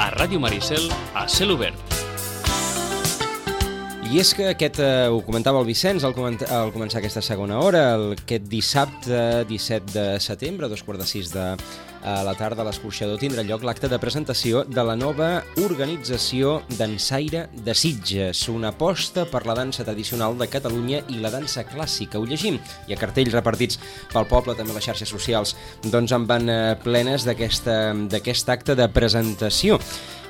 A Ràdio Maricel, a cel obert. I és que ho comentava el Vicenç al començar aquesta segona hora, aquest dissabte 17 de setembre, a 5:45 de la tarda, a l'Escorxador tindrà lloc l'acte de presentació de la nova organització Dansaire de Sitges, una aposta per la dansa tradicional de Catalunya i la dansa clàssica. Ho llegim, hi ha cartells repartits pel poble, també a les xarxes socials, doncs en van plenes d'aquest acte de presentació.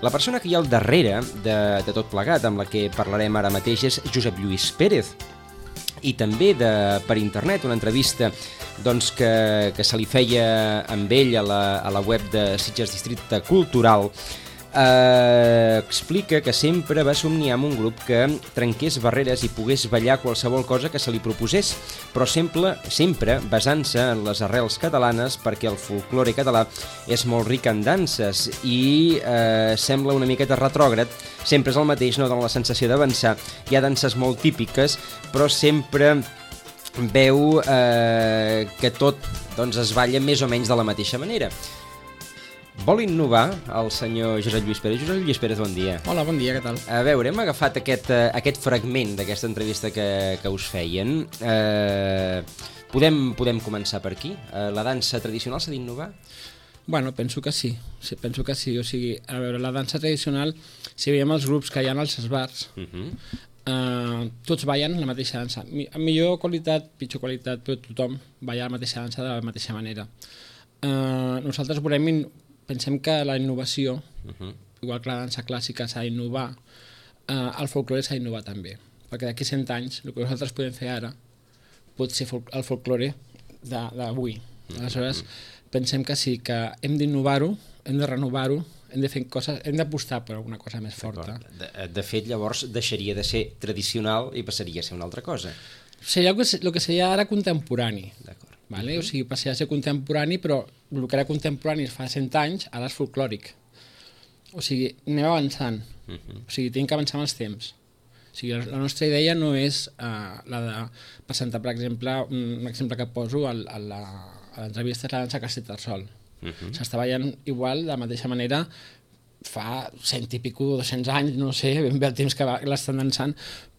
La persona que hi ha al darrere de tot plegat, amb la que parlarem ara mateix, és Josep Lluís Pérez. I també per internet, una entrevista que se li feia amb ell a la web de Sitges Districte Cultural, explica que sempre va somniar amb un grup que trenqués barreres i pogués ballar qualsevol cosa que se li proposés, però sempre basant-se en les arrels catalanes, perquè el folklore català és molt ric en danses i sembla una miqueta retrògrad, sempre és el mateix, no dona la sensació d'avançar. Hi ha danses molt típiques, però sempre veu que tot es balla més o menys de la mateixa manera. Vol innovar el senyor Josep Lluís Pérez. Josep Lluís Pérez, bon dia. Hola, bon dia, què tal? A veure, hem agafat aquest fragment d'aquesta entrevista que us feien. Podem començar per aquí? La dansa tradicional s'ha d'innovar? Bueno, penso que sí. Penso que sí. O sigui, a veure, la dansa tradicional, si veiem els grups que hi ha als bars, tots ballen la mateixa dansa. Amb millor qualitat, pitjor qualitat, però tothom balla la mateixa dansa de la mateixa manera. Nosaltres pensem que la innovació, igual que la dansa clàssica s'ha d'innovar, el folklore s'ha d'innovar també, perquè d'aquí 100 anys el que nosaltres podem fer ara pot ser el folklore d'avui. Aleshores, pensem que sí, que hem d'innovar-ho, hem de renovar-ho, hem de fer coses, hem d'apostar per alguna cosa més forta. De fet, llavors deixaria de ser tradicional i passaria a ser una altra cosa. Seria el que seria ara contemporani. D'acord. Vale? O sigui, passaria a ser contemporani, però el que era contemporani fa 100 anys, ara és folclòric. O sigui, anem avançant. O sigui, tenim que avançar amb els temps. O sigui, la nostra idea no és la de presentar, per exemple, un exemple que poso a l'entrevista és la dansa Castell del Sol. S'està ballant igual, de la mateixa manera, fa 100 i pico, 200 anys, no sé, ben bé el temps que l'estan dansant,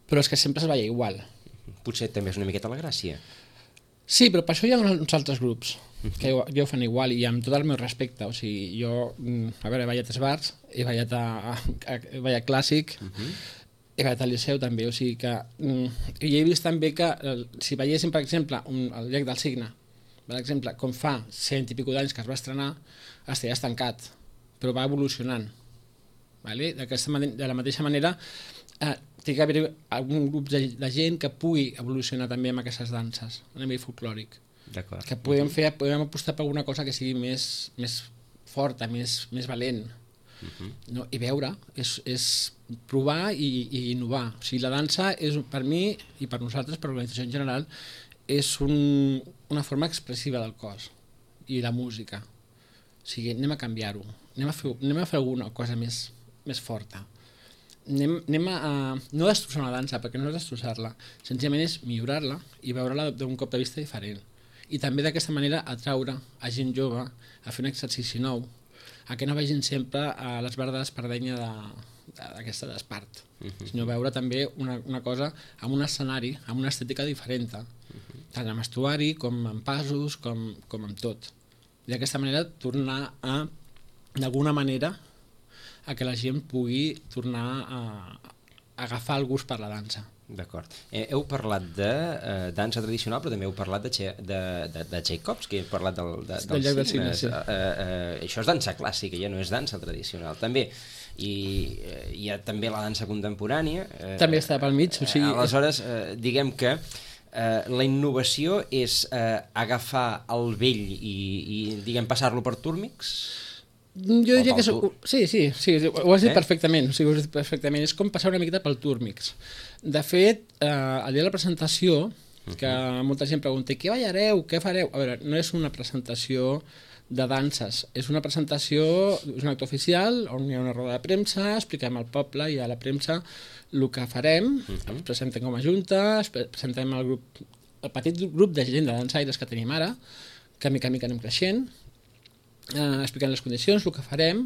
però és que sempre es balla igual. Potser també és una miqueta la gràcia. Sí, però per això hi ha uns altres grups que ja ho fan igual i amb tot el meu respecte. O sigui, jo, a veure, he ballat a bars, he ballat clàssic, he ballat al Liceu també, o sigui que... I he vist també que si balléssim, per exemple, el Llac del Cigne, per exemple, com fa 100 i pico d'anys que es va estrenar, estaria estancat, però va evolucionant. De la mateixa manera, té que haver algun grup de gent que pugui evolucionar també amb aquestes danses a nivell folclòric. D'acord. Que podem apostar per alguna cosa que sigui més forta, més valent. I veure, és provar i innovar. O sigui, la dansa és, per mi i per nosaltres, per l'organització en general, és una forma expressiva del cos i la música. O sigui, anem a canviar-ho. Anem a fer alguna cosa més forta. Anem a no destrossar una dansa, perquè no és destrossar-la, senzillament és millorar-la i veure-la d'un cop de vista diferent. I també d'aquesta manera atraure a gent jove a fer un exercici nou, a que no vegin sempre a l'esbarda d'espardenya d'aquesta d'Espart, sinó veure també una cosa amb un escenari, amb una estètica diferent, tant amb vestuari com amb passos, com amb tot. I d'aquesta manera tornar a, d'alguna manera, a que la gent pugui tornar a agafar el gust per la dansa. D'acord. Heu parlat de dansa tradicional, però també heu parlat de Tchaikovsky, heu parlat del Llac del Cigne, sí. Això és dansa clàssica, ja no és dansa tradicional. També, i hi ha també la dansa contemporània. També està pel mig. O sigui, aleshores, diguem que la innovació és agafar el vell i diguem, passar-lo per túrmics? Jo diria que sí, ho has dit perfectament, o sigui, ho has dit perfectament. És com passar una miqueta pel túrmix. De fet, el dia de la presentació, que molta gent pregunta què ballareu, què fareu? A veure, no és una presentació de danses, és una presentació, és un acte oficial on hi ha una roda de premsa, expliquem al poble i a la premsa el que farem, ens presentem com a junta, presentem el petit grup de gent de dansaires que tenim ara, que mica en mica anem creixent, explicant les condicions, el que farem,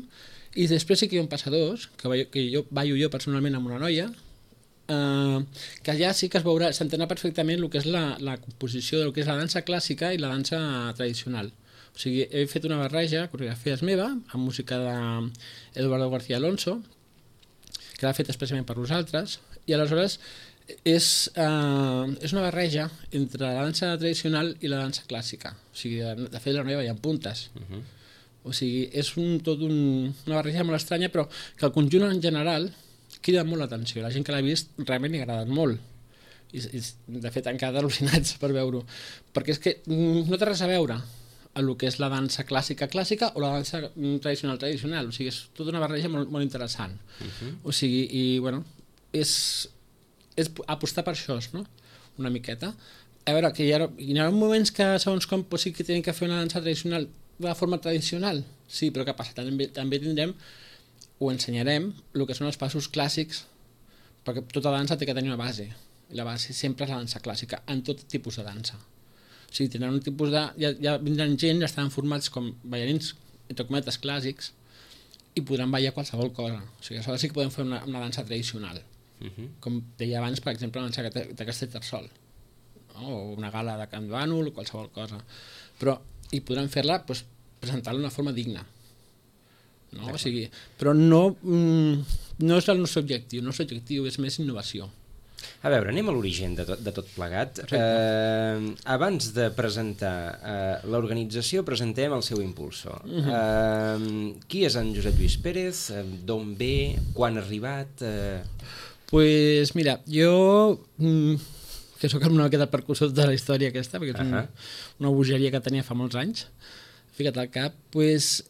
I després sí que hi ha un passadors, que jo ballo jo personalment amb una noia, que allà sí que es veurà, s'entendrà perfectament el que és la composició del que és la dansa clàssica i la dansa tradicional. O sigui, he fet una barreja, coreografies meva, amb música d'Eduardo García Alonso, que l'ha fet expressament per nosaltres, i aleshores és una barreja entre la dansa tradicional i la dansa clàssica. O sigui, de fet la noia veia en puntes. O sigui, és una barreja molt estranya, però que el conjunt en general crida molt l'atenció. La gent que l'ha vist realment li ha agradat molt. I de fet, han quedat al·lucinats per veure-ho. Perquè és que no té res a veure amb el que és la dansa clàssica o la dansa tradicional. O sigui, és tota una barreja molt, molt interessant. O sigui, i bueno, és apostar per això, no? Una miqueta. A veure, que hi ha moments que segons com sí que tenen que fer una dansa tradicional de forma tradicional, sí, però què passa? També tindrem, o ensenyarem, el que són els passos clàssics, perquè tota dansa té que tenir una base, i la base sempre és la dansa clàssica, en tot tipus de dansa. O sigui, tindran un tipus de... Ja vindran gent, ja estaran formats com ballarins, entre cometes, clàssics, i podran ballar qualsevol cosa. O sigui, aleshores sí que podem fer una dansa tradicional, com deia abans, per exemple, la dansa de Castellterçol, o una gala de Can Bànol, o qualsevol cosa. Però i podran fer-la, doncs, presentar-la d'una forma digna. No? O sigui, però no és el nostre objectiu. El nostre objectiu és més innovació. A veure, anem a l'origen de tot plegat. Abans de presentar l'organització, presentem el seu impulsor. Qui és en Josep Lluís Pérez? D'on ve? Quan ha arribat? Pues mira, jo... que sóc una miqueta percussor de la història aquesta, perquè és una bogeria que tenia fa molts anys, ficat al cap, doncs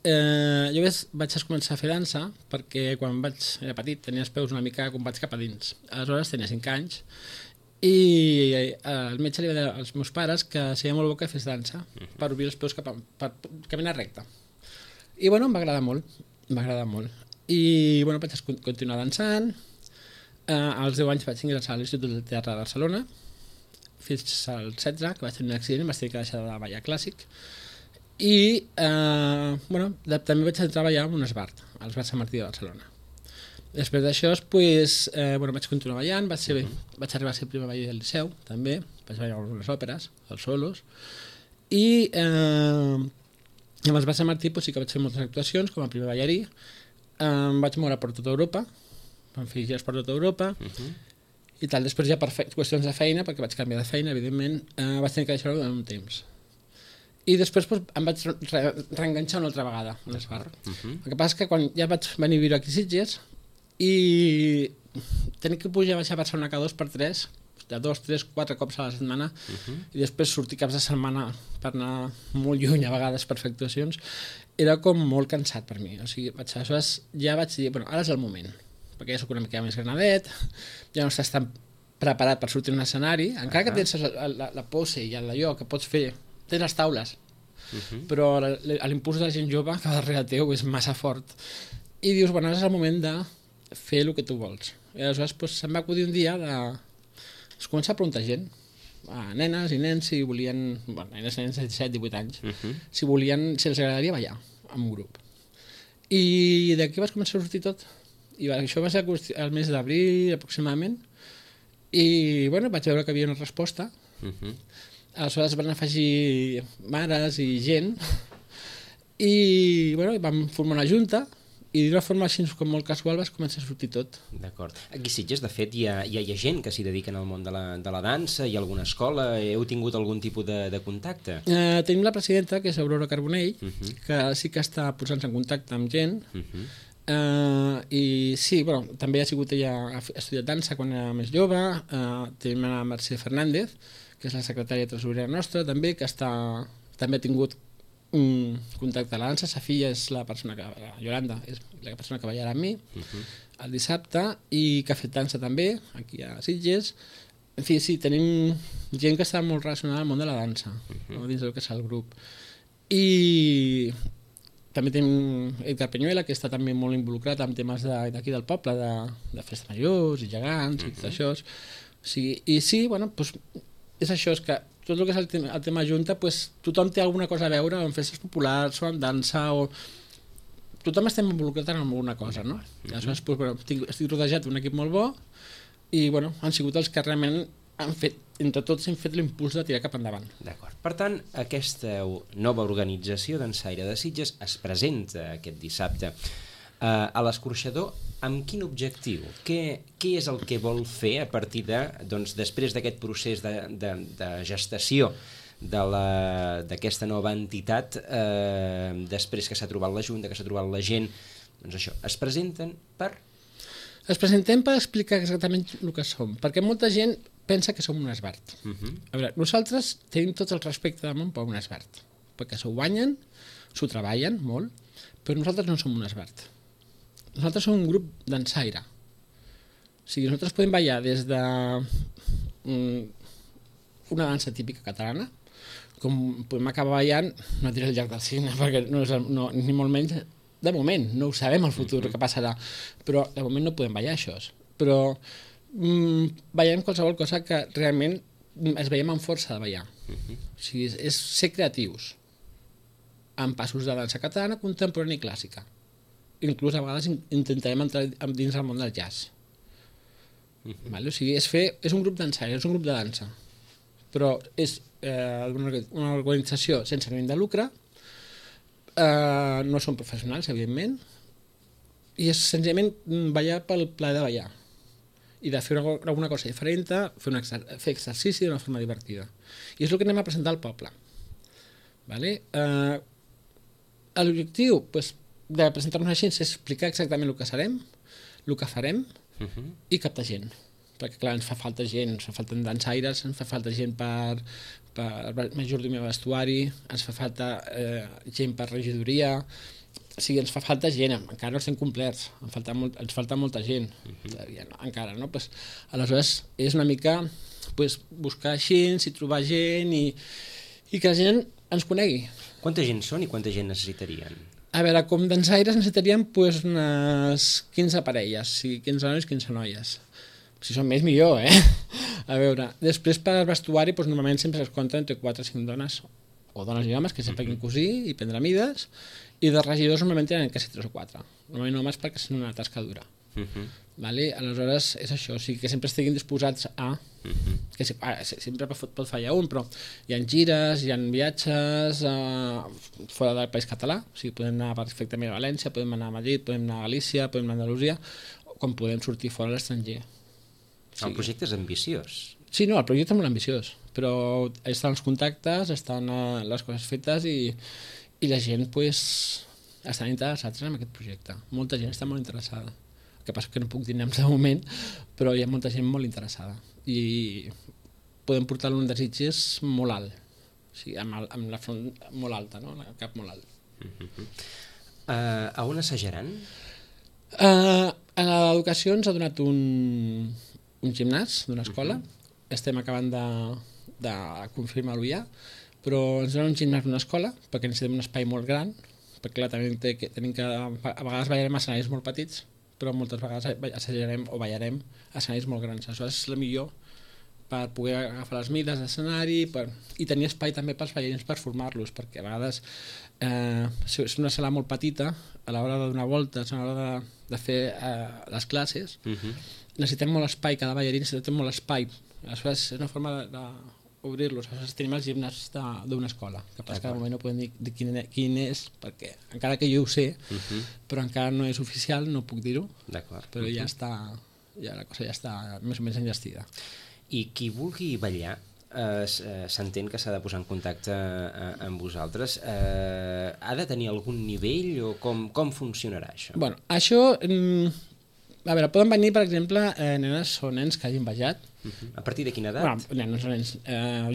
jo vaig començar a fer dansa perquè quan era petit tenia els peus una mica combats cap a dins. Aleshores tenia 5 anys i el metge li va dir als meus pares que seria molt bo que fes dansa per obrir els peus per caminar recte. I bueno, em va agradar molt. I bueno, vaig continuar dansant. Als 10 anys vaig ingressar a l'Institut del Teatre de Barcelona, fins al 16, que vaig tenir un accident i vaig tenir que deixar de ballar clàssic. I bueno, també vaig treballar en un esbart, a l'Esbart Sant Martí de Barcelona. Després d'això, bueno, vaig continuar ballant, vaig arribar a ser primer baller del Liceu, també, vaig ballar algunes òperes, els solos, i amb l'Esbart Sant Martí sí que vaig fer moltes actuacions com a primer ballarí, em vaig moure per tota Europa, vam fer gires per tota Europa, i tal. Després ja per qüestions de feina, perquè vaig canviar de feina, evidentment, vaig tenir que deixar-ho durant un temps. I després em vaig reenganxar una altra vegada a l'Esbart. El que passa és que quan ja vaig venir a viure aquí a Sitges i tenir que pujar a baixar a Barcelona cada 2 per 3, de 2, 3, 4 cops a la setmana, i després sortir caps de setmana per anar molt lluny a vegades per fer actuacions, era com molt cansat per mi. O sigui, aleshores ja vaig dir, bueno, ara és el moment, perquè ja soc una mica més granadet, ja no estàs tan preparat per sortir a un escenari, encara que tens la pose i allò que pots fer, tens les taules, però l'impuls de la gent jove que va darrere teu és massa fort. I dius, bueno, ara és el moment de fer el que tu vols. I aleshores se'm va acudir un dia de començar a preguntar gent, a nenes i nens, si volien, bueno, nenes de 17, 18 anys, si els agradaria ballar en un grup. I d'aquí vas començar a sortir tot. I això va ser el mes d'abril aproximadament, i bueno, vaig veure que hi havia una resposta. Aleshores van afegir mares i gent, i bueno, vam formar una junta, i d'una forma així com molt casual vas començar a sortir tot. D'acord. Aquí a Sitges, de fet, hi ha gent que s'hi dediquen al món de la dansa, hi ha alguna escola, heu tingut algun tipus de contacte? Tenim la presidenta, que és Aurora Carbonell, que sí que està posant-se en contacte amb gent, i sí, bueno, també ha sigut ella, ha estudiat dansa quan era més jove. Tenim la Mercè Fernández, que és la secretària tresorera nostra, també, que també ha tingut un contacte a la dansa. Sa filla és la persona que, Yolanda, és la persona que ballarà amb mi el dissabte, i que ha fet dansa també aquí a Sitges. En fi, sí, tenim gent que està molt relacionada al món de la dansa, dins del que és el grup. I també tenim Edgar Peñuela, que està també molt involucrat en temes d'aquí del poble, de festes majors i gegants i tot això. I sí, bueno, doncs és això, és que tot el que és el tema junta, tothom té alguna cosa a veure amb festes populars o amb dansa, o tothom estem involucrat en alguna cosa, no? Aleshores, doncs, bueno, estic rodejat d'un equip molt bo i bueno, han sigut els que realment han fet, entre tots hem fet l'impuls de tirar cap endavant. D'acord. Per tant, aquesta nova organització d'Ensaire de Sitges es presenta aquest dissabte a l'Escorxador amb quin objectiu? Què és el que vol fer a partir de, doncs, després d'aquest procés de gestació d'aquesta nova entitat, després que s'ha trobat la Junta, que s'ha trobat la gent, doncs això, es presenten per... Es presentem per explicar exactament el que som, perquè molta gent pensa que som un esbart. A veure, nosaltres tenim tot el respecte del món per un esbart, perquè s'ho guanyen, s'ho treballen molt, però nosaltres no som un esbart. Nosaltres som un grup dansaire. O sigui, nosaltres podem ballar des de una dansa típica catalana, com podem acabar ballant, no diré el llac del Cigne, perquè no, ni molt menys, de moment, no ho sabem el futur que passarà, però de moment no podem ballar això. Però ballem qualsevol cosa que realment es veiem amb força de ballar. O sigui, és ser creatius, amb passos de dansa catalana, contemporània i clàssica. Inclús a vegades intentarem entrar dins el món del jazz. O sigui, és un grup dansaire, és un grup de dansa, però és una organització sense ànim de lucre, no són professionals, evidentment, i és senzillament ballar pel plaer de ballar i de fer alguna cosa diferent, fer exercici d'una forma divertida. I és el que anem a presentar al poble. L'objectiu de presentar-nos així és explicar exactament el que serem, el que farem i captar gent. Perquè, clar, ens fa falta gent, ens fa falta dansaires, ens fa falta gent per majordomia de vestuari, ens fa falta gent per regidoria, o sigui, ens fa falta gent, encara no estem complerts, ens falta molta gent, encara, no? Aleshores, és una mica buscar gent, trobar gent i que la gent ens conegui. Quanta gent són i quanta gent necessitarien? A veure, com dansaires necessitaríem unes 15 parelles, 15 nois, 15 noies. Si són més, millor, A veure, després per vestuari, normalment sempre es compta entre 4 o 5 dones, o dones i homes, que sempre puguin cosir i prendre mides, i de regidors normalment tenen quasi 3 o 4. Normalment homes perquè és una tasca dura. Aleshores, és això, o sigui que sempre estiguin disposats a... que sempre pot fallar un, però hi ha gires, hi ha viatges fora del País Català, o sigui, podem anar perfectament a València, podem anar a Madrid, podem anar a Galícia, podem anar a Andalusia, com podem sortir fora a l'estranger. El projecte és ambiciós. Sí, no, el projecte és molt ambiciós, però estan els contactes, estan les coses fetes i la gent estan interessats en aquest projecte. Molta gent està molt interessada. El que passa que no puc dir noms de moment, però hi ha molta gent molt interessada i podem portar un desig molt alt, o sigui, amb la front molt alta, no? El cap molt alt. A on assajaran? A l'educació ens ha donat un gimnàs d'una escola, estem acabant de confirmar-ho ja, però ens donen un gimnàs d'una escola perquè necessitem un espai molt gran, perquè clar, tenim que a vegades ballarem a escenaris molt petits, però moltes vegades assajarem o ballarem a escenaris molt grans. Això és el millor per poder agafar les mides d'escenari i tenir espai també pels ballarins per formar-los, perquè a vegades si és una sala molt petita, a l'hora de donar voltes, a l'hora de fer les classes, necessitem molt espai, cada ballarí necessitem molt espai. Aleshores és una forma d'obrir-los. Aleshores tenim els gimnàs d'una escola, que passa que de moment no podem dir quin és, perquè encara que jo ho sé, però encara no és oficial, no puc dir-ho, però ja està, la cosa ja està més o menys enllestida. I qui vulgui ballar, s'entén que s'ha de posar en contacte amb vosaltres. Ha de tenir algun nivell o com funcionarà això? Bueno, això... A veure, poden venir, per exemple, nenes o nens que hagin ballat. A partir de quina edat? Bueno, nenes o nens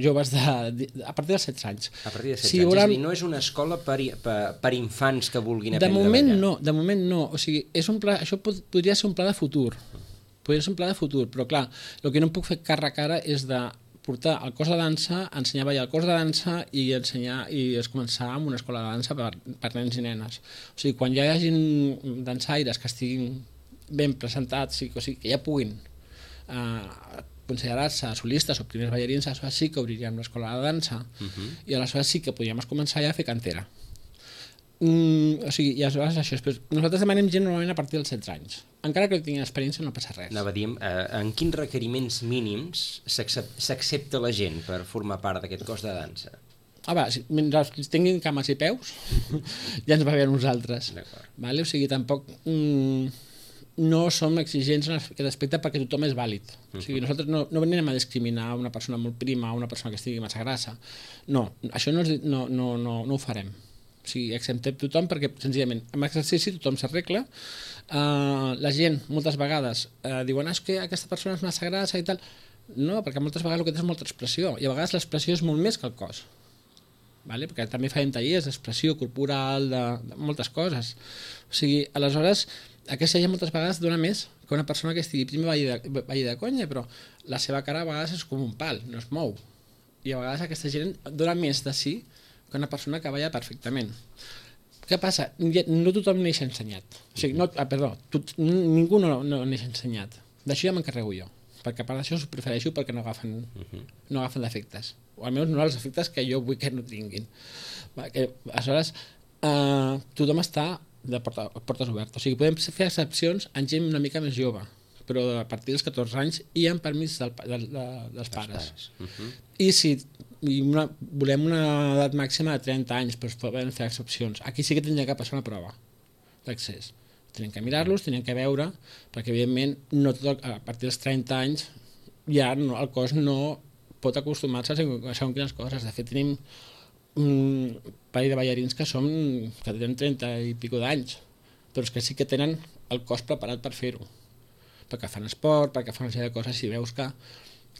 joves a partir dels 16 anys. A partir de 16 anys, és a dir, no és una escola per infants que vulguin aprendre a ballar. De moment no, o sigui, això podria ser un pla de futur. Podria ser un pla de futur, però clar, el que no puc fer cara a cara és de portar el cos de dansa, ensenyar a ballar el cos de dansa i començar amb una escola de dansa per nens i nenes. O sigui, quan ja hi hagin dansaires que estiguin ben presentats, o sigui, que ja puguin considerar-se solistes o primers ballarins, aleshores sí que obriríem l'escola de dansa i aleshores sí que podríem començar ja a fer cantera. O sigui, i aleshores això, nosaltres demanem gent normalment a partir dels 16 anys. Encara que no tinguin experiència no passa res. Anava a dir, en quins requeriments mínims s'accepta la gent per formar part d'aquest cos de dansa? Mentre tinguin cames i peus, ja ens va bé a nosaltres. Vale? O sigui, tampoc no som exigents en aquest aspecte perquè tothom és vàlid. O sigui, nosaltres no venim a discriminar una persona molt prima o una persona que estigui massa grassa. No, això no ho farem. O sigui, acceptem tothom perquè, senzillament, amb exercici tothom s'arregla. La gent, moltes vegades, diuen que aquesta persona és massa grassa i tal. No, perquè moltes vegades el que té és molta expressió, i a vegades l'expressió és molt més que el cos. Vale? Perquè també farem tallers d'expressió corporal, de moltes coses. O sigui, aleshores, aquesta gent moltes vegades dona més que una persona que estigui primer balli de conya, però la seva cara a vegades és com un pal, no es mou. I a vegades aquesta gent dona més de si que una persona que balla perfectament. Què passa? No tothom neix ensenyat. O sigui, ningú no neix ensenyat. D'això ja m'encarrego jo, perquè a part d'això ho prefereixo perquè no agafen defectes, o almenys no els efectes que jo vull que no tinguin. Aleshores, tothom està de portes obertes. O sigui, podem fer excepcions en gent una mica més jove, però a partir dels 14 anys i amb permís dels pares. I si volem una edat màxima de 30 anys, doncs podem fer excepcions. Aquí sí que tindria que passar una prova d'accés. Tenen que mirar-los, tenen que veure, perquè evidentment no tot, a partir dels 30 anys ja el cos no pot acostumar-se a segons quines coses. De fet, tenim un parell de ballarins que tenen 30 i pico d'anys, però que sí que tenen el cos preparat per fer-ho, perquè fan esport, perquè fan una sèrie de coses. Si veus que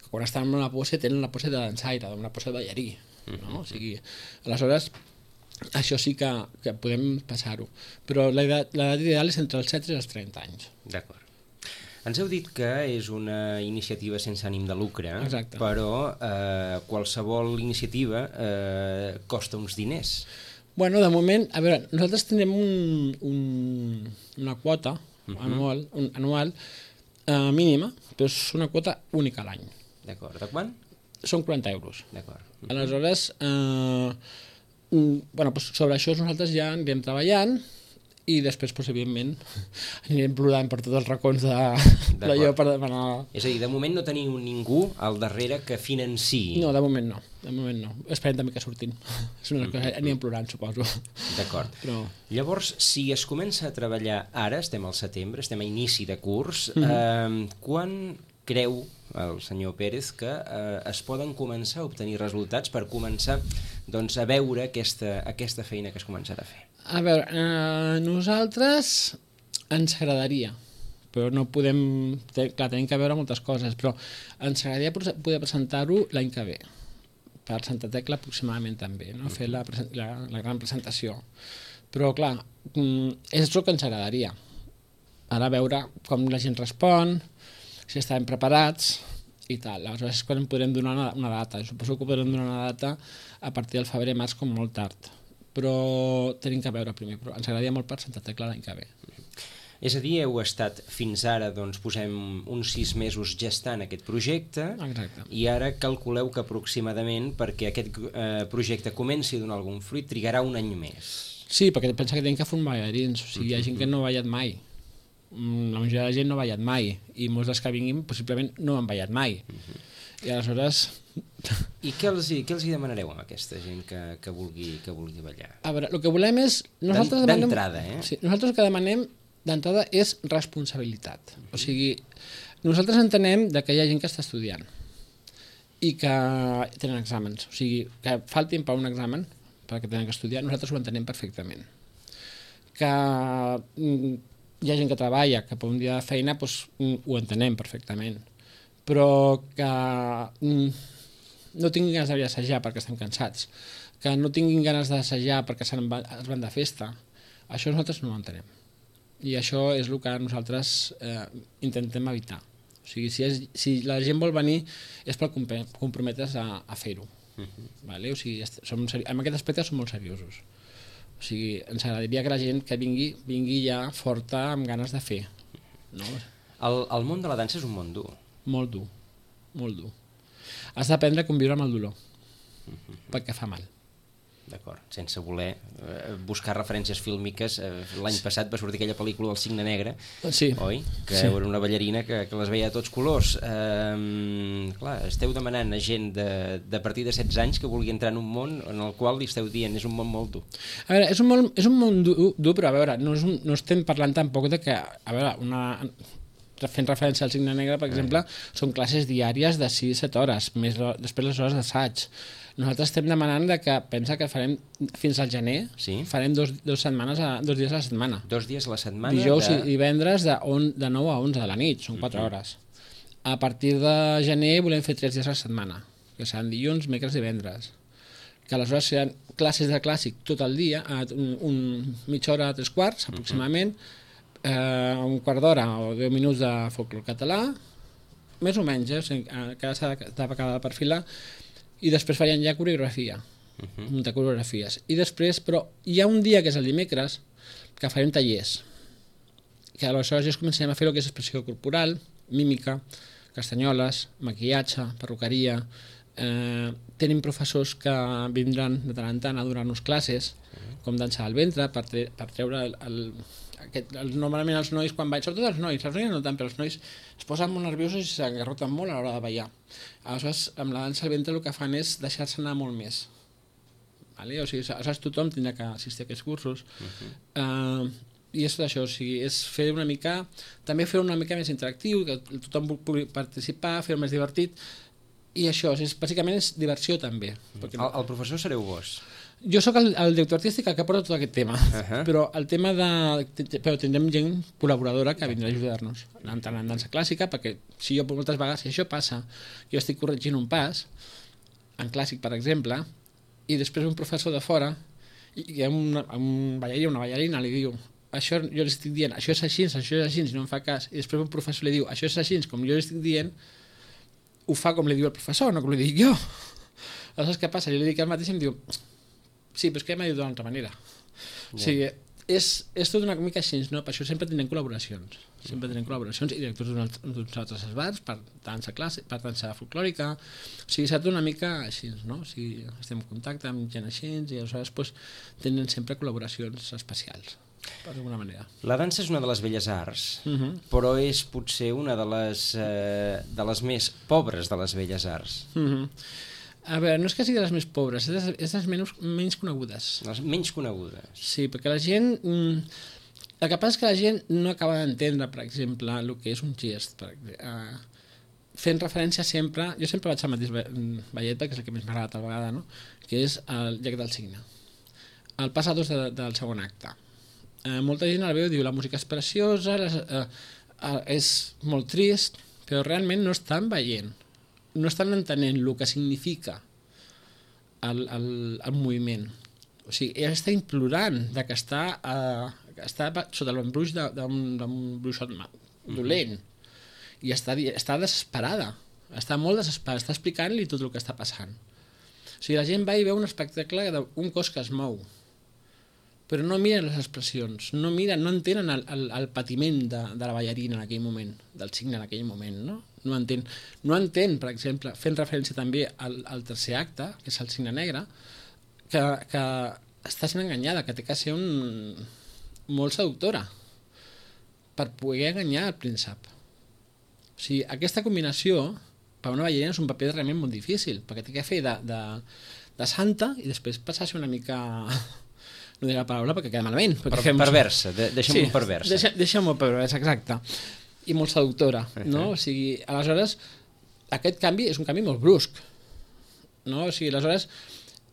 quan estan en una pose tenen la pose de dansaire, una pose de ballarí, no? O sigui, aleshores això sí que podem passar-ho, però l'edat ideal és entre els 16 i els 30 anys. D'acord. Ens heu dit que és una iniciativa sense ànim de lucre. Exacte. Però qualsevol iniciativa costa uns diners. Bueno, de moment, a veure, nosaltres tenim una quota anual mínima, però és una quota única a l'any. D'acord. De quant? Són 40 euros. D'acord. Aleshores, sobre això nosaltres ja anirem treballant i després, evidentment, anirem plorant per tots els racons d'allò per demanar... És a dir, de moment no teniu ningú al darrere que financiï? No, de moment no. Esperem també que surtin. És una cosa, anirem plorant, suposo. D'acord. Però... Llavors, si es comença a treballar ara, estem al setembre, estem a inici de curs, quan creu el senyor Pérez que es poden començar a obtenir resultats per començar a veure aquesta feina que es començarà a fer? A veure, nosaltres ens agradaria, però no podem... Clar, tenim que veure moltes coses, però ens agradaria poder presentar-ho l'any que ve, per Santa Tecla aproximadament també, no? Fer la gran presentació. Però, clar, és el que ens agradaria. Ara veure com la gent respon, si estan preparats i tal. Aleshores és quan podrem donar una data. Suposo que podrem donar una data a partir del febrer-març com molt tard. Però tenim que veure primer. Però ens agradaria molt per Santa Tecla l'any que ve. És a dir, heu estat fins ara, posem uns 6 mesos gestant aquest projecte. Exacte. I ara calculeu que aproximadament perquè aquest projecte comenci a donar algun fruit trigarà un any més. Sí, perquè pensa que tenim que formar ballarins. O sigui, hi ha gent que no ha ballat mai. La majoria de la gent no ha ballat mai i molts dels que vinguin possiblement no han ballat mai i aleshores... I què els hi demanareu a aquesta gent que vulgui ballar? A veure, el que volem és... D'entrada, Sí, nosaltres el que demanem d'entrada és responsabilitat. O sigui, nosaltres entenem que hi ha gent que està estudiant i que tenen exàmens, o sigui, que faltin per un examen perquè tenen que estudiar, nosaltres ho entenem perfectament. Que hi ha gent que treballa, que per un dia de feina ho entenem perfectament, però que no tinguin ganes d'assajar perquè estan cansats, que no tinguin ganes d'assajar perquè es van de festa, això nosaltres no ho entenem. I això és el que nosaltres intentem evitar. O sigui, si la gent vol venir és per comprometre's a fer-ho. Vale? O sigui, en aquest aspecte som molt seriosos. O sigui, ens agradaria que la gent que vingui ja forta, amb ganes de fer. No? El món de la dansa és un món dur. Molt dur, molt dur. Has d'aprendre a conviure amb el dolor, perquè fa mal. D'acord, sense voler buscar referències fílmiques. L'any passat va sortir aquella pel·lícula El cigne negre, sí. Oi? Que era una ballarina que les veia a tots colors. Clar, esteu demanant a gent de partir de 16 anys que vulgui entrar en un món en el qual li esteu dient és un món molt dur. A veure, és un món dur, però a veure, no estem parlant tampoc de que, a veure, fent referència al cigne negre, per exemple, són classes diàries de 6-7 hores, més després les hores d'assaig. Nosaltres estem demanant que pensa que farem fins al gener, farem dos dies a la setmana. 2 dies a la setmana? Dijous i divendres de 9 a 11 de la nit, són 4 hores. A partir de gener volem fer 3 dies a la setmana, que seran dilluns, dimecres i divendres. Que aleshores seran classes de clàssic tot el dia, mitja hora, 3/4 aproximadament, un quart d'hora o 10 minuts de folklore català, més o menys, cada perfilar, i després farien ja coreografia, muntar coreografies. I després, però, hi ha un dia, que és el dimecres, que farem tallers, que aleshores ja comencem a fer el que és expressió corporal, mímica, castanyoles, maquillatge, perruqueria. Tenim professors que vindran de tant en tant a donar-nos classes, com dansa al ventre, per treure normalment els nois quan ballen, sobretot els nois no tant, però els nois es posen molt nerviosos i s'engarroten molt a l'hora de ballar. Aleshores, amb la dansa al ventre el que fan és deixar-se anar molt més. O sigui, aleshores tothom tindrà que assistir a aquests cursos. I és això, o sigui, és fer una mica, també fer una mica més interactiu, que tothom pugui participar, fer-ho més divertit, i això, bàsicament és diversió també. El professor sereu vos? Jo sóc el director artístic que porta tot aquest tema, però el tema però tindrem gent col·laboradora que vindrà a ajudar-nos en dansa clàssica, perquè si jo moltes vegades, si això passa, jo estic corregint un pas en clàssic, per exemple, i després un professor de fora i un ballarí o una ballarina li diu, això jo li estic dient, això és així, i no em fa cas, i després un professor li diu, això és així, com jo li estic dient, ho fa com li diu el professor, no com li dic jo. Aleshores, què passa? Jo li dic el mateix i em diu, sí, però és que m'ha dit d'una altra manera. O sigui, és tot una mica així, no? Per això sempre tindrem col·laboracions. I directors d'uns altres esbars per dansa clàssica, per dansa folclòrica. O sigui, s'ha tot una mica així, no? O sigui, estem en contacte amb gent així i aleshores tenen sempre col·laboracions especials, per alguna manera. La dansa és una de les belles arts, però és potser una de les més pobres de les belles arts. A veure, no és que sigui de les més pobres, és de les menys conegudes. Les menys conegudes. Sí, perquè la gent... El que passa és que la gent no acaba d'entendre, per exemple, el que és un gest. Fent referència sempre... Jo sempre vaig al mateix ballet, perquè és el que més m'agrada tal vegada, no? Que és el llac del cigne. El pas a dos del segon acte. Molta gent el veu i diu la música és preciosa, és molt trist, però realment no estan veient. No estan entenent el que significa el moviment. O sigui, ella està implorant que està sota l'embruix d'un bruixot dolent i està desesperada, està molt desesperada, està explicant-li tot el que està passant. O sigui, la gent va i veu un espectacle d'un cos que es mou, però no miren les expressions, no entenen el patiment de la ballarina en aquell moment, del cigne en aquell moment, no? No entén, per exemple, fent referència també al tercer acte, que és el cigne negre, que està sent enganyada, que té que ser molt seductora per poder enganyar el príncep. O sigui, aquesta combinació per una ballarina és un paper realment molt difícil, perquè té que fer de santa i després passar-se una mica... No diré la paraula perquè queda malament. Perversa, deixa'm-ho perversa. Deixa'm-ho perversa, exacte. I molt seductora, no? O sigui, aleshores, aquest canvi és un canvi molt brusc, no? O sigui, aleshores,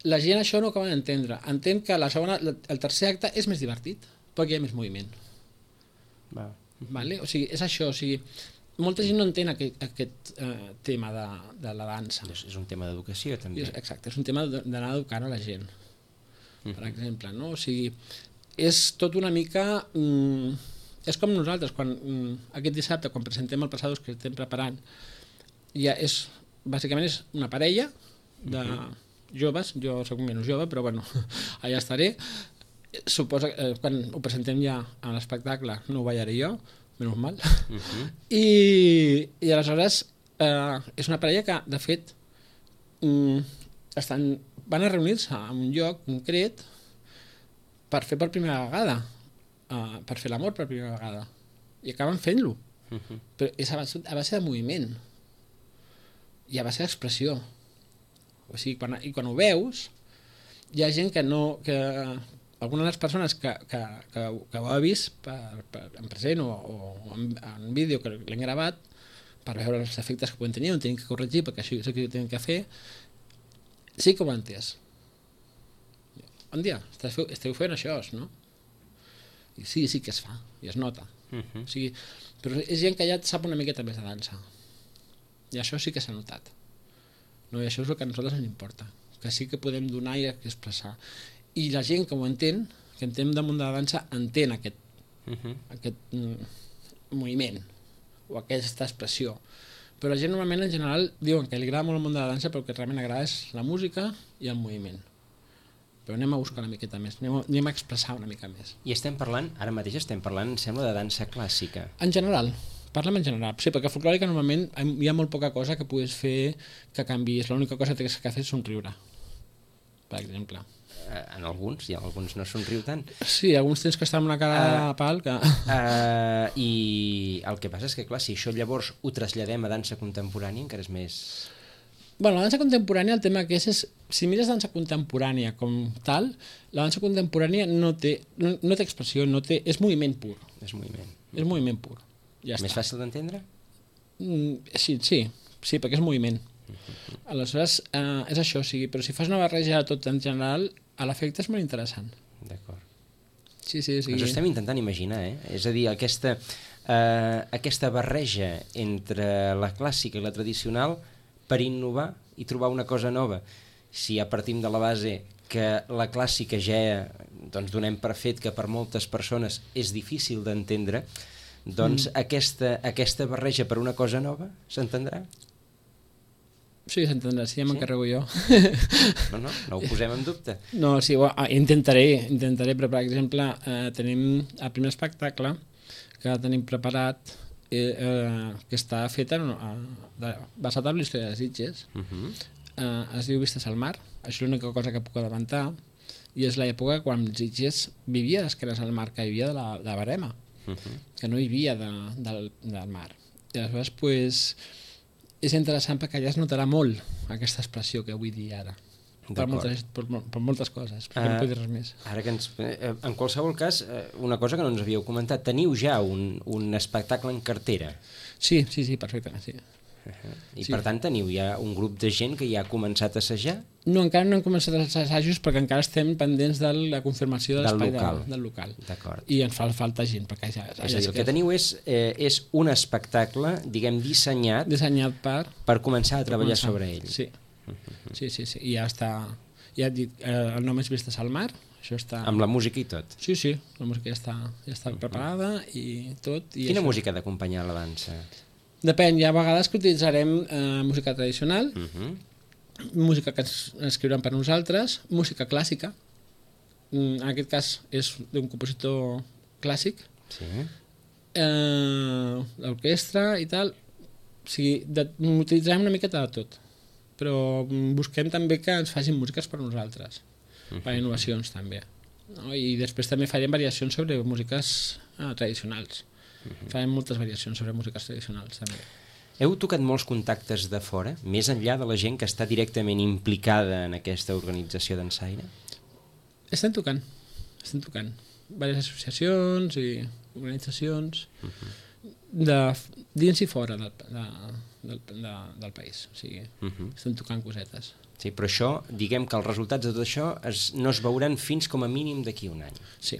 la gent això no acaba d'entendre. Entén que el tercer acte és més divertit, perquè hi ha més moviment. Vale? O sigui, és això, o sigui, molta gent no entén aquest tema de la dansa. És un tema d'educació, també. Exacte, és un tema d'anar educant a la gent, per exemple, no? O sigui, és tot una mica... És com nosaltres, aquest dissabte, quan presentem el Passados que estem preparant, bàsicament és una parella de joves, jo soc menys jove, però bueno, allà estaré. Suposa que quan ho presentem ja a l'espectacle no ho ballaré jo, menys mal. I aleshores és una parella que, de fet, estan van a reunir-se en un lloc concret per fer per primera vegada, per fer l'amor per primera vegada, i acaben fent-lo. Però és a base de moviment i a base d'expressió. O sigui, quan ho veus, hi ha gent que alguna de les persones que ho ha vist en present o en vídeo que l'hem gravat per veure els efectes que poden tenir, on tenen que corregir perquè això és el que tenen que fer, sí que ho han entès. Bon dia, esteu fent això, no? I sí que es fa, i es nota. O sigui, però és gent que ja sap una miqueta més de dansa. I això sí que s'ha notat. No, i això és el que a nosaltres ens importa, que sí que podem donar i expressar. I la gent que ho entén, que entén damunt de la dansa, entén aquest moviment o aquesta expressió. Però la gent normalment en general diuen que li agrada molt el món de la dansa, però el que realment agrada és la música i el moviment. Però anem a buscar una miqueta més, anem a expressar una mica més. I ara mateix estem parlant, em sembla, de dansa clàssica. En general, parlem en general. Sí, perquè folclòrica normalment hi ha molt poca cosa que puguis fer que canviïs. L'única cosa que has de fer és somriure, per exemple. En alguns, i en alguns no somriu tant. Sí, alguns tens que estar amb una cara de pal que... I el que passa és que, clar, si això llavors ho traslladem a dansa contemporània, encara és més... Bueno, la dansa contemporània, el tema que és si mires dansa contemporània com tal, la dansa contemporània no té expressió, és moviment pur. És moviment. És moviment pur. Ja Més fàcil d'entendre? Sí, perquè és moviment. Aleshores, és això, o sigui, però si fas una barreja de tot en general, a l'efecte és molt interessant. D'acord. Sí, o sigui... Ens ho estem intentant imaginar, És a dir, aquesta barreja entre la clàssica i la tradicional per innovar i trobar una cosa nova. Si ja partim de la base que la clàssica ja donem per fet que per moltes persones és difícil d'entendre, doncs aquesta barreja per una cosa nova s'entendrà? Sí, s'entendrà, ja m'encarrego jo. No ho posem en dubte. No, sí, intentaré, però per exemple tenim el primer espectacle que tenim preparat que està fet basat en la història de Sitges. Es diu Vistes al mar, això és l'única cosa que puc adelantar, i és l'època quan Sitges vivia d'esquenes al mar, que vivia de la barema, que no hi havia del mar. I aleshores, és interessant perquè allà es notarà molt aquesta expressió que vull dir ara. Per moltes coses, perquè no puc dir res més. Ara que en qualsevol cas, una cosa que no ens havíeu comentat, teniu ja un espectacle en cartera? Sí, perfectament, sí. I per tant teniu ja un grup de gent que ja ha començat a assajar? No, encara no hem començat els assajos perquè encara estem pendents de la confirmació de l'espai del local. D'acord. I ens fa falta gent. Perquè és a dir, el que teniu és un espectacle, diguem, dissenyat per començar a treballar sobre ell. Sí. Sí, i ja està, ja et dic, el nom és Vistes al mar, això està... Amb la música i tot? Sí, la música ja està preparada i tot. Quina música ha d'acompanyar la dansa? Depèn, hi ha vegades que utilitzarem música tradicional, música que ens escriuran per nosaltres, música clàssica, en aquest cas és d'un compositor clàssic, l'orquestra i tal, o sigui, utilitzarem una miqueta de tot, però busquem també que ens facin músiques per nosaltres, per innovacions també, no? I després també farem variacions sobre músiques tradicionals. Farem moltes variacions sobre músiques tradicionals també. Heu tocat molts contactes de fora, més enllà de la gent que està directament implicada en aquesta organització dansaire? Estem tocant diverses associacions i organitzacions dins i fora del país, o sigui, estem tocant cosetes. Sí, però això, diguem que els resultats de tot això no es veuran fins com a mínim d'aquí un any. Sí.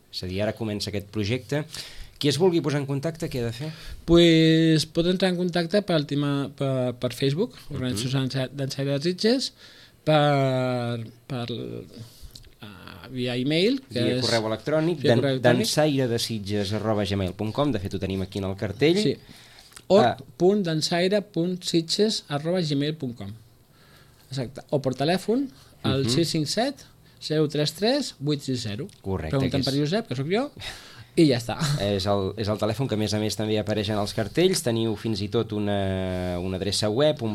És a dir, ara comença aquest projecte. Qui es vulgui posar en contacte, què ha de fer? Pues pot entrar en contacte per Facebook, Organització Dansaire de Sitges, via e-mail, via correu electrònic, dansairedesitges@gmail.com, de fet ho tenim aquí en el cartell. Sí. dansaire.sitges@gmail.com. Exacte. O per telèfon, al 657 033 860. Correcte. Pregunten per Josep, que sóc jo, i ja està. És el telèfon que a més també apareix en els cartells. Teniu fins i tot una adreça web, un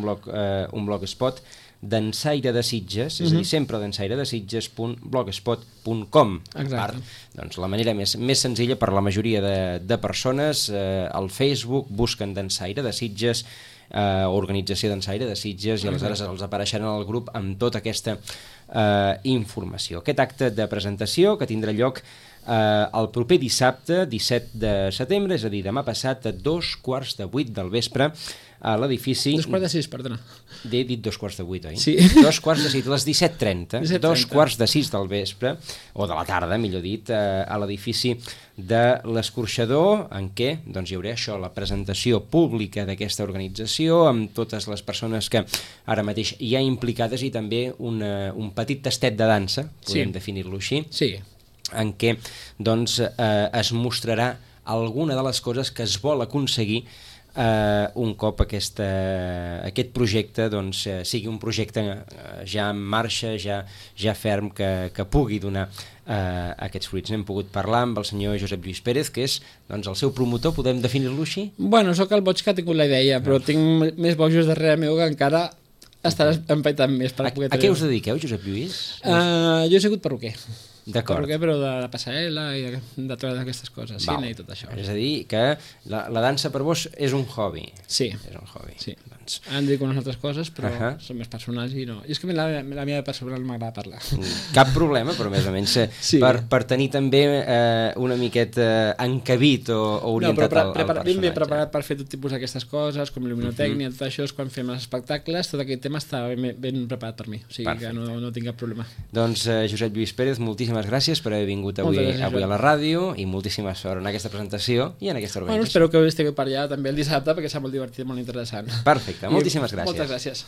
blogspot dansaire de Sitges, és a dir, sempre dansairedesitges.blogspot.com. A part, doncs, la manera més senzilla per la majoria de persones, al Facebook busquen Dansaire de Sitges, organització Dansaire de Sitges, i aleshores els apareixeran al grup amb tota aquesta informació. Aquest acte de presentació que tindrà lloc el proper dissabte, 17 de setembre, és a dir, demà passat, a 7:45 del vespre, a l'edifici... 7:45, perdona. He dit 7:45, oi? Sí. 7:45, les 17:30, 7:45 del vespre, o de la tarda, millor dit, a l'edifici de l'Escorxador, en què doncs, hi haurà això, la presentació pública d'aquesta organització, amb totes les persones que ara mateix hi ha implicades, i també un petit tastet de dansa, podem definir-lo així, en què doncs, es mostrarà alguna de les coses que es vol aconseguir un cop aquest projecte doncs, sigui un projecte ja en marxa, ja ferm, que pugui donar aquests fruits. N'hem pogut parlar amb el senyor Josep Lluís Pérez, que és doncs, el seu promotor, podem definir-lo així? Bueno, sóc el boig que ha tingut la idea, però tinc més bojos darrere meu que encara estaràs empaitant més. A què us dediqueu, Josep Lluís? Jo he sigut perruquer. D'acord. Perruquer, però de la passarel·la i de totes aquestes coses, cine i tot això. És a dir, que la dansa per vos és un hobby. Sí. És un hobby. Sí. Em dedico a unes altres coses, però són més personals i no. I és que la meva personal m'agrada parlar. Cap problema, però més o menys per tenir també una miqueta encabit o orientat al personatge. Ben preparat per fer tot tipus d'aquestes coses, com il·luminotècnia, tot això, quan fem els espectacles, tot aquest tema està ben preparat per mi, o sigui que no tinc cap problema. Doncs Josep Lluís Pérez, moltíssimes gràcies per haver vingut avui a la ràdio, i moltíssima sort en aquesta presentació i en aquesta organització. Espero que estigueu per allà també el dissabte, perquè serà molt divertit i molt interessant. Perfecte, moltíssimes gràcies. Moltes gràcies.